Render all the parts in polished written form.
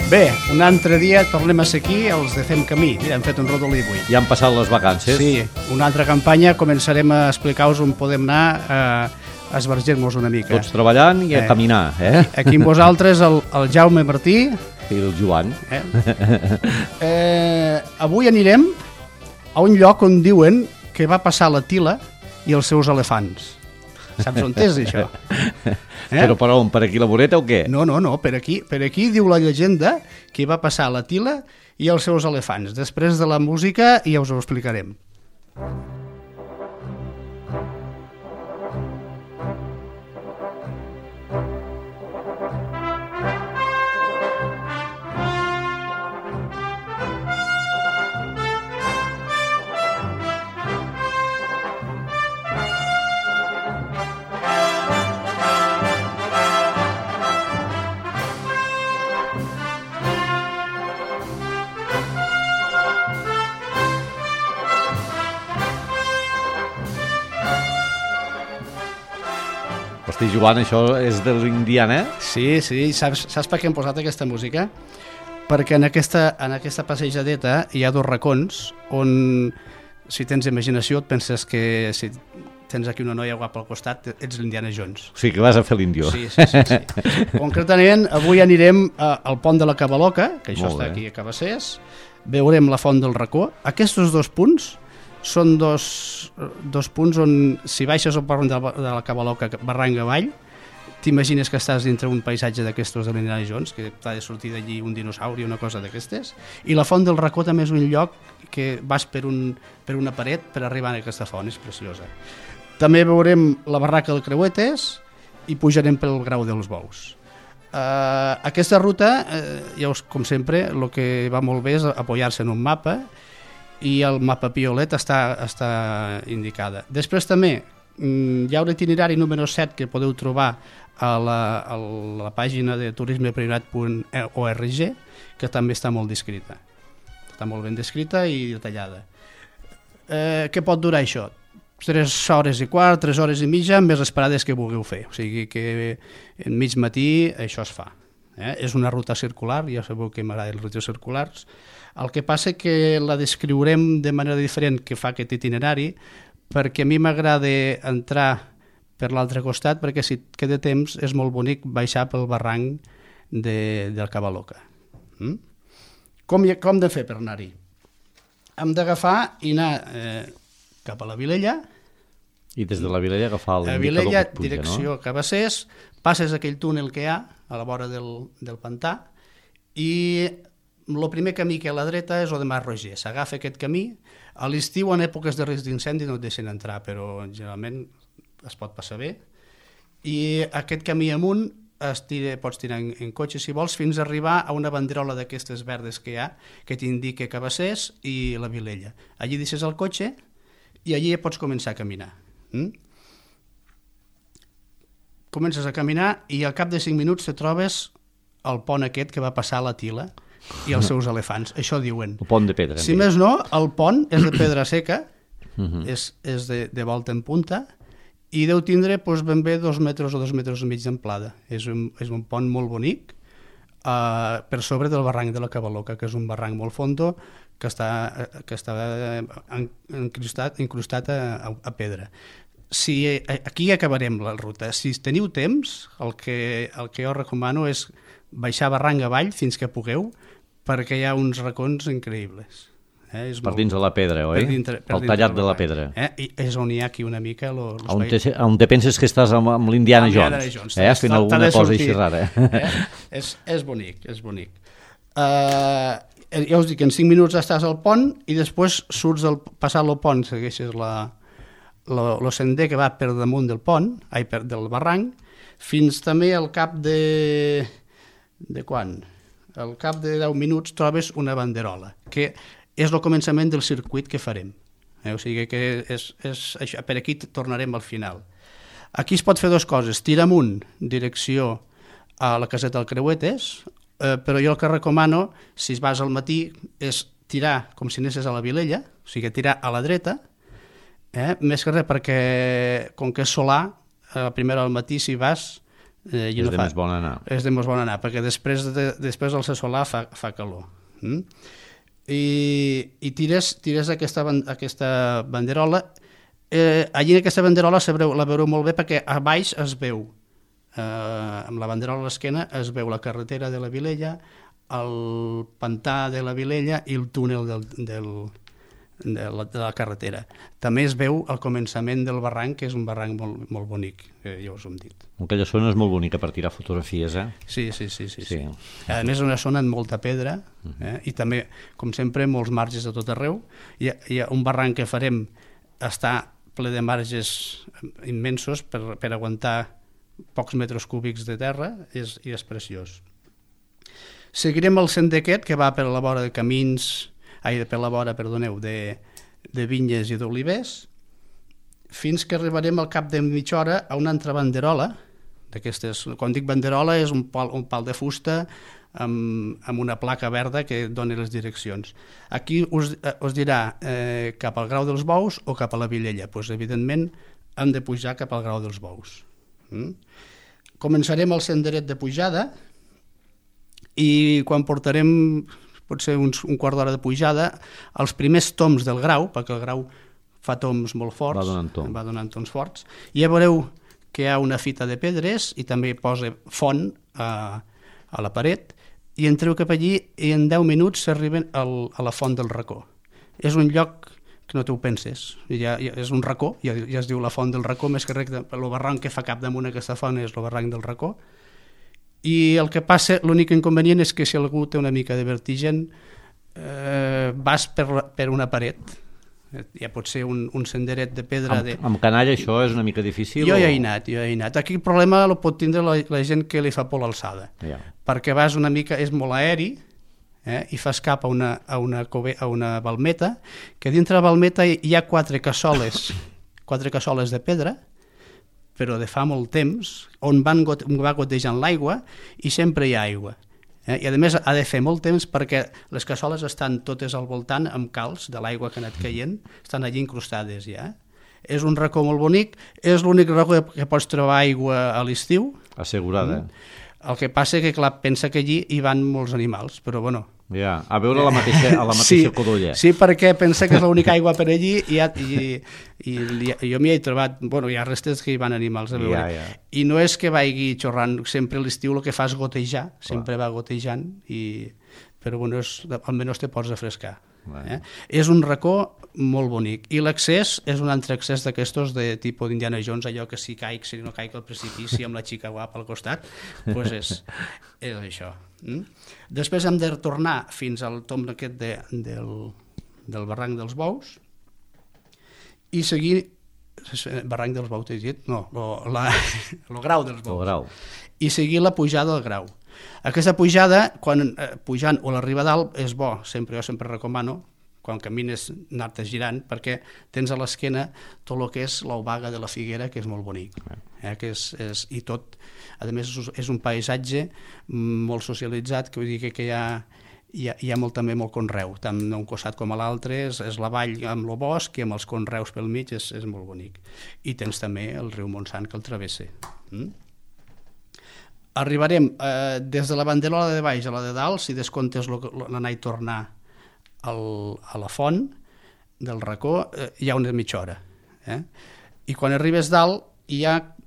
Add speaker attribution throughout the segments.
Speaker 1: Bé, un altre dia tornem a ser aquí, els de Fem Camí. Mira, hem fet un rodolí avui.
Speaker 2: Ja han passat les vacances.
Speaker 1: Sí, una altra campanya, començarem a explicar-vos on podem anar a esbarger-nos una mica.
Speaker 2: Tots treballant i a caminar,
Speaker 1: Aquí amb vosaltres el Jaume Martí.
Speaker 2: I el Joan.
Speaker 1: Avui anirem a un lloc on diuen que va passar la Tila i els seus elefants. Saps on és, això?
Speaker 2: Però per on? Per aquí la voreta o què?
Speaker 1: No, per aquí diu la llegenda que va passar la Tila i els seus elefants. Després de la música ja us ho explicarem.
Speaker 2: Hosti, Joan, això és de l'Indiana?
Speaker 1: Sí, saps per què hem posat aquesta música? Perquè en aquesta passejadeta hi ha dos racons on, si tens imaginació, et penses que si tens aquí una noia guapa al costat, ets l'Indiana Jones.
Speaker 2: O sigui que vas a fer l'índio.
Speaker 1: Sí. Concretament, avui anirem al pont de la Cabaloca, que això està aquí a Cabassers, veurem la font del racó. Aquests dos punts són dos punts on, si baixes al pont de la Cabaloca barranc avall, t'imagines que estàs dintre un paisatge d'aquestos de l'Indiana Jones, que t'ha de sortir d'allí un dinosauri o una cosa d'aquestes, i la font del racó també és un lloc que vas per una paret per arribar a aquesta font, és preciosa. També veurem la barraca del Creuetes i pujarem pel Grau dels Bous. Aquesta ruta, com sempre, el que va molt bé és apoyar-se en un mapa, i el mapa Piolet està indicada. Després també hi ha un itinerari número 7 que podeu trobar a la pàgina de turismepriorat.org, que també està molt descrita. Està molt ben descrita i detallada. Què pot durar això? 3 hores i quart, 3 hores i mitja, amb les parades que vulgueu fer. O sigui que en mig matí això es fa. És una ruta circular, ja sabeu que m'agraden les rutes circulars. El que passa que la descriurem de manera diferent que fa aquest itinerari, perquè a mi m'agrada entrar per l'altre costat, perquè si et queda temps és molt bonic baixar pel barranc del Cabaloca. Com hem de fer per anar-hi? Hem d'agafar i anar cap a la Vilella.
Speaker 2: I des de la Vilella agafar l'indicador que
Speaker 1: Vilella,
Speaker 2: et puja,
Speaker 1: direcció Cabassers, passes aquell túnel que hi ha a la vora del pantà i el primer camí que hi ha a la dreta és el de Mas Roger. S'agafa aquest camí. A l'estiu, en èpoques de risc d'incendi, no et deixen entrar, però generalment es pot passar bé. I aquest camí amunt pots tirar en cotxe, si vols, fins a arribar a una banderola d'aquestes verdes que hi ha, que t'indica Cabassers i la Vilella. Allí deixes el cotxe i allí pots començar a caminar. Comences a caminar i al cap de 5 minuts te trobes el pont aquest que va passar a la Tila i els seus elefants, això diuen.
Speaker 2: El pont de pedra.
Speaker 1: Si més no, el pont és de pedra seca, és de volta en punta, i deu tindre ben bé 2 metres o 2 metres i mig d'amplada. És un pont molt bonic, per sobre del barranc de la Cabaloca, que és un barranc molt fondo, que està incrustat a pedra. Aquí acabarem la ruta. Si teniu temps, el que jo recomano és baixar barranc avall fins que pugueu, perquè hi ha uns racons increïbles.
Speaker 2: Per dins de la pedra, oi? El tallat de la pedra.
Speaker 1: I és on hi ha aquí una mica...
Speaker 2: On te penses que estàs amb l'Indiana Jones, fent alguna cosa així rara.
Speaker 1: És bonic, és bonic. Ja us dic, en 5 minuts estàs al pont i després surts passar el pont, segueixes el sender que va per damunt del pont, del barranc, fins també al cap de quan? Al cap de 10 minuts trobes una banderola, que és el començament del circuit que farem. O sigui que és això. Per aquí tornarem al final. Aquí es pot fer 2 coses, tirar amunt, direcció a la caseta del Creuetes, però jo el que recomano, si vas al matí, és tirar com si anessis a la Vilella, o sigui, tirar a la dreta, més que res perquè, com que és solar, a la primera al matí, si vas...
Speaker 2: és de més bon anar.
Speaker 1: És de més bon anar, perquè després del ser solar fa calor. I tires aquesta banderola. Allí en aquesta banderola la veureu molt bé perquè a baix es veu, amb la banderola a l'esquena, es veu la carretera de la Vilella, el pantà de la Vilella i el túnel de la carretera. També es veu al començament del barranc, que és un barranc molt, molt bonic, ja us ho hem dit.
Speaker 2: Aquella zona és molt bonica per tirar fotografies, eh?
Speaker 1: Sí. A més, és una zona amb molta pedra, i també, com sempre, molts marges de tot arreu. Hi ha un barranc que farem, està ple de marges immensos per aguantar pocs metres cúbics de terra, i és preciós. Seguirem el sender aquest, que va per la vora de camins, per la vora, de vinyes i d'olivers, fins que arribarem al cap de mitja hora a una altra banderola, d'aquestes, quan dic banderola és un pal de fusta amb una placa verda que dona les direccions. Aquí us dirà cap al Grau dels Bous o cap a la Vilella. Doncs, evidentment, hem de pujar cap al Grau dels Bous. Començarem el senderet de pujada i quan portarem potser un quart d'hora de pujada, els primers toms del Grau, perquè el Grau fa toms molt forts, va donant toms forts, i ja veureu que hi ha una fita de pedres i també posa font a la paret, i entreu cap allí i en 10 minuts s'arriben a la font del Racó. És un lloc que no t'ho penses, és un racó, ja es diu la font del Racó, més que res, el barranc que fa cap damunt aquesta font és el barranc del Racó, i el que passa, l'únic inconvenient és que si algú té una mica de vertigen, vas per una paret, ja pot ser un senderet de pedra.
Speaker 2: Amb canalla això és una mica difícil?
Speaker 1: Jo hi he anat. Aquí el problema el pot tindre la gent que li fa por l'alçada, perquè vas una mica, és molt aeri, i fas cap a una balmeta, que dintre la balmeta hi ha 4 cassoles de pedra, però de fa molt temps, on va gotejant l'aigua i sempre hi ha aigua. I a més ha de fer molt temps perquè les cassoles estan totes al voltant amb calç de l'aigua que ha anat caient, estan allí incrustades ja. És un racó molt bonic, és l'únic racó que pots trobar aigua a l'estiu.
Speaker 2: Assegurada.
Speaker 1: El que passa que, clar, pensa que allí hi van molts animals, però bueno...
Speaker 2: Ja, a veure a la mateixa codolla.
Speaker 1: Sí, perquè pensa que és l'única aigua per allí i jo m'hi he trobat, bueno, hi ha restes que hi van animals a veure. I no és que vagi xorrant, sempre a l'estiu el que fa és gotejar, sempre va gotejant, però bueno, almenys te pots refrescar. És un racó molt bonic i l'accés és un altre accés d'aquestos de tipus d'Indiana Jones, allò que si no caic al precipici amb la xica guapa al costat, doncs és això. Després hem de retornar fins al tomb aquest del barranc dels Bous i seguir barranc dels Bous, t'he dit? No, el Grau dels Bous. I seguir la pujada del Grau. Aquesta pujada, pujant o l'arriba a dalt, és bo, jo sempre recomano, quan camines anar-te girant, perquè tens a l'esquena tot el que és l'Obaga de la Figuera, que és molt bonic. I tot, a més, és un paisatge molt socialitzat, que vull dir que hi ha també molt conreu, tant d'un costat com a l'altre, és la vall amb el bosc i amb els conreus pel mig, és molt bonic. I tens també el riu Montsant que el travessa. Arribarem des de la banderola de baix a la de dalt, si descomptes l'anar i tornar a la font del racó, hi ha una mitja hora. I quan arribes dalt,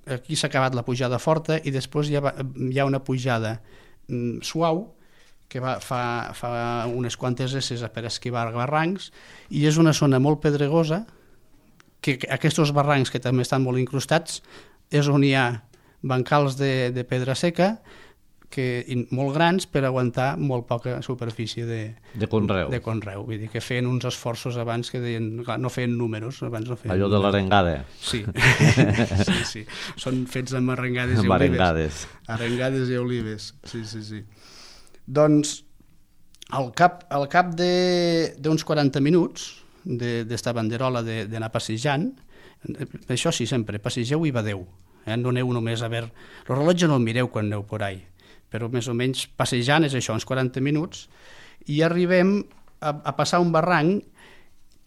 Speaker 1: aquí s'ha acabat la pujada forta i després hi ha una pujada suau que fa unes quantes esses per esquivar barrancs i és una zona molt pedregosa, que aquests barrancs que també estan molt incrustats és on hi ha bancals de pedra seca molt grans per aguantar molt poca superfície de conreu. Vull dir que feien uns esforços abans que deien, clar, no feien números, abans no feien
Speaker 2: allò de l'arengada.
Speaker 1: Sí. Són fets amb arengades i olives. Arengades i olives, sí. Doncs al cap d'uns 40 minuts d'esta banderola d'anar passejant, això sí, sempre, passegeu i badeu. No aneu només a veure... El rellotge no el mireu quan aneu por ahí. però més o menys passejant és això, uns 40 minuts, i arribem a passar un barranc,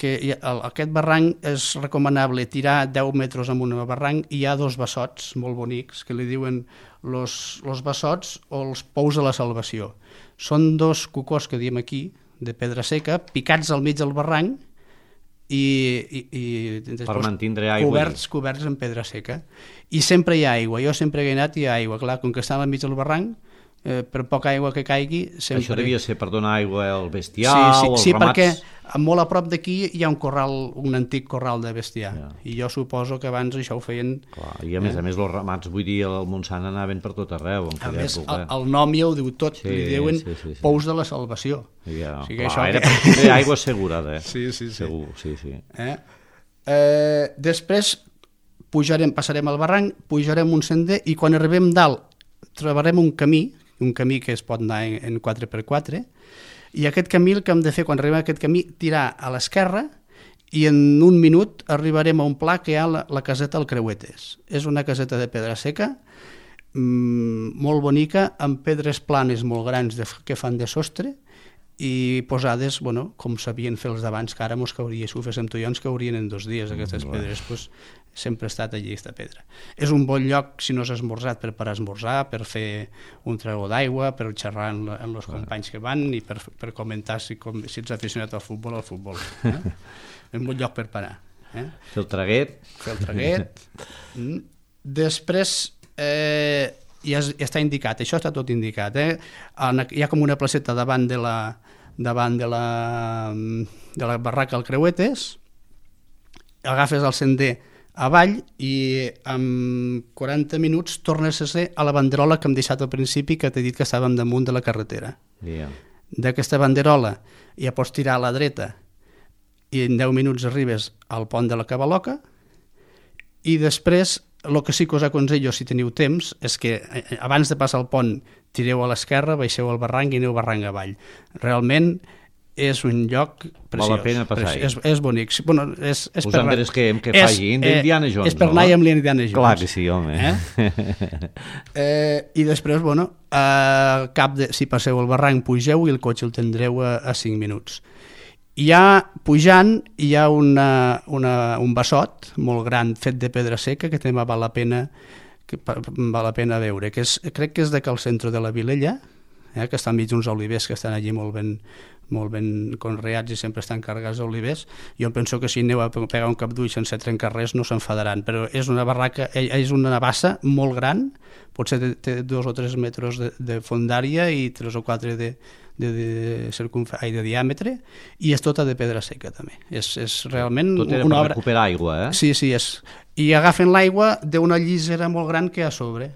Speaker 1: que aquest barranc és recomanable tirar 10 metres amb un barranc, i hi ha 2 bessots molt bonics, que li diuen los bessots o els pous de la salvació. Són 2 cocors que diem aquí, de pedra seca, picats al mig del barranc, i
Speaker 2: per mantindre aigua
Speaker 1: coberts en pedra seca, i sempre hi ha aigua. Jo sempre he anat i hi ha aigua, clar, com que està al mig del barranc, per poca aigua que caigui sempre...
Speaker 2: Això devia ser per donar aigua al bestiar o als ramats?
Speaker 1: Sí, perquè molt a prop d'aquí hi ha un antic corral de bestiar, i jo suposo que abans això ho feien...
Speaker 2: Clar, i a més els ramats, vull dir, al Montsant anaven per tot arreu.
Speaker 1: A més, el nom ja ho diu tot, li diuen pous de la salvació.
Speaker 2: O sigui, això era per tindre aigua assegurada.
Speaker 1: Sí.
Speaker 2: Segur, sí.
Speaker 1: Després passarem al barranc, pujarem un sender, i quan arribem dalt trobarem un camí que es pot anar en 4x4, i aquest camí, el que hem de fer quan arribem a aquest camí, tirar a l'esquerra, i en un minut arribarem a un pla que hi ha la caseta del Creuetes. És una caseta de pedra seca, molt bonica, amb pedres planes molt grans que fan de sostre, i posades, com sabien fer els d'abans, que ara mos cauria, si ho féssim tu i jo, ens caurien en 2 dies aquestes pedres, sempre ha estat allí aquesta pedra. És un bon lloc, si no has esmorzat, per esmorzar, per fer un trago d'aigua, per xerrar amb els companys que van, i per comentar si ets aficionat al futbol. És un bon lloc per parar.
Speaker 2: Fer el traguet.
Speaker 1: Després ja està indicat, això està tot indicat. Hi ha com una placeta davant de la barraca al Creuetes, agafes el sender avall i en 40 minuts tornes a ser a la banderola que hem deixat al principi, que t'he dit que estàvem damunt de la carretera. D'aquesta banderola ja pots tirar a la dreta i en 10 minuts arribes al pont de la Cabaloca, i després el que sí que us aconsello, si teniu temps, és que abans de passar el pont tireu a l'esquerra, baixeu al barranc i aneu barranc avall. Realment és un lloc preciós.
Speaker 2: Val la pena passar-hi.
Speaker 1: És bonic.
Speaker 2: Us enderesquem que faci d'Indiana Jones,
Speaker 1: és per anar amb l'Indiana Jones.
Speaker 2: Clar que sí, home.
Speaker 1: I després, si passeu el barranc, pugeu i el cotxe el tindreu a 5 minuts. Pujant hi ha un bessot molt gran fet de pedra seca que també val la pena veure, crec que és de Cal Centro de la Vilella, que està enmig d'uns olivers que estan allí molt ben conreats i sempre estan carregats d'olivers. Jo penso que si aneu a pegar un cap d'ull sense trencar res no s'enfadaran, però és una barraca, és una bassa molt gran, potser té 2 o 3 metres de fondària i 3 o 4 de diàmetre, i és tota de pedra seca també. És realment
Speaker 2: tot era per recuperar aigua,
Speaker 1: Sí, i agafen l'aigua d'una llisera molt gran que hi ha a sobre.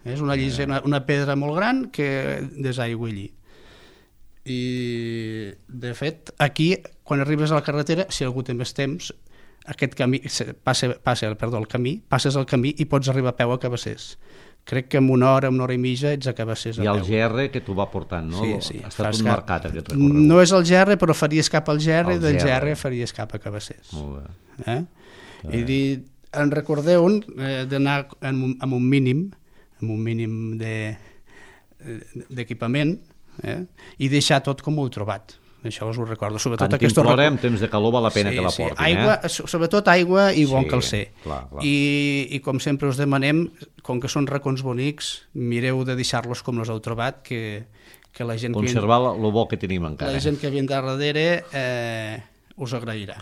Speaker 1: És una llisera, una pedra molt gran que desaigua allí. I de fet aquí, quan arribes a la carretera, si algú té més temps, aquest camí passes el camí i pots arribar a peu a Cabassers. Crec que en una hora i mitja ets a Cabassers a peu.
Speaker 2: I el GR que t'ho va portant, no?
Speaker 1: Sí.
Speaker 2: Ha estat un marcat aquest recorregut.
Speaker 1: No és el GR, però faries cap al GR, i del GR faries cap a Cabassers.
Speaker 2: Molt bé.
Speaker 1: I en recordeu d'anar amb un mínim d'equipament, i deixar tot com ho heu trobat. Això us ho recordo.
Speaker 2: Tant que en temps de calor val la pena que la portin.
Speaker 1: Sobretot aigua i bon calcer. I com sempre us demanem, com que són racons bonics, mireu de deixar-los com els heu trobat, que la gent...
Speaker 2: Conservar el bo que tenim encara.
Speaker 1: La gent que ve darrere us agrairà.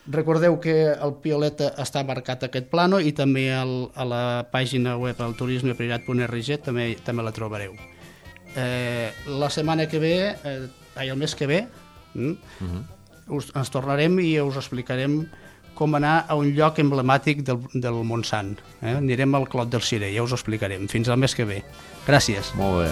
Speaker 1: Recordeu que el Pioleta està marcat aquest plano, i també a la pàgina web al turisme.org també la trobareu. La setmana que ve, el mes que ve, ens tornarem i us explicarem com anar a un lloc emblemàtic del Montsant. Anirem al Clot del Cirer, ja us ho explicarem. Fins al mes que ve. Gràcies.
Speaker 2: Molt bé.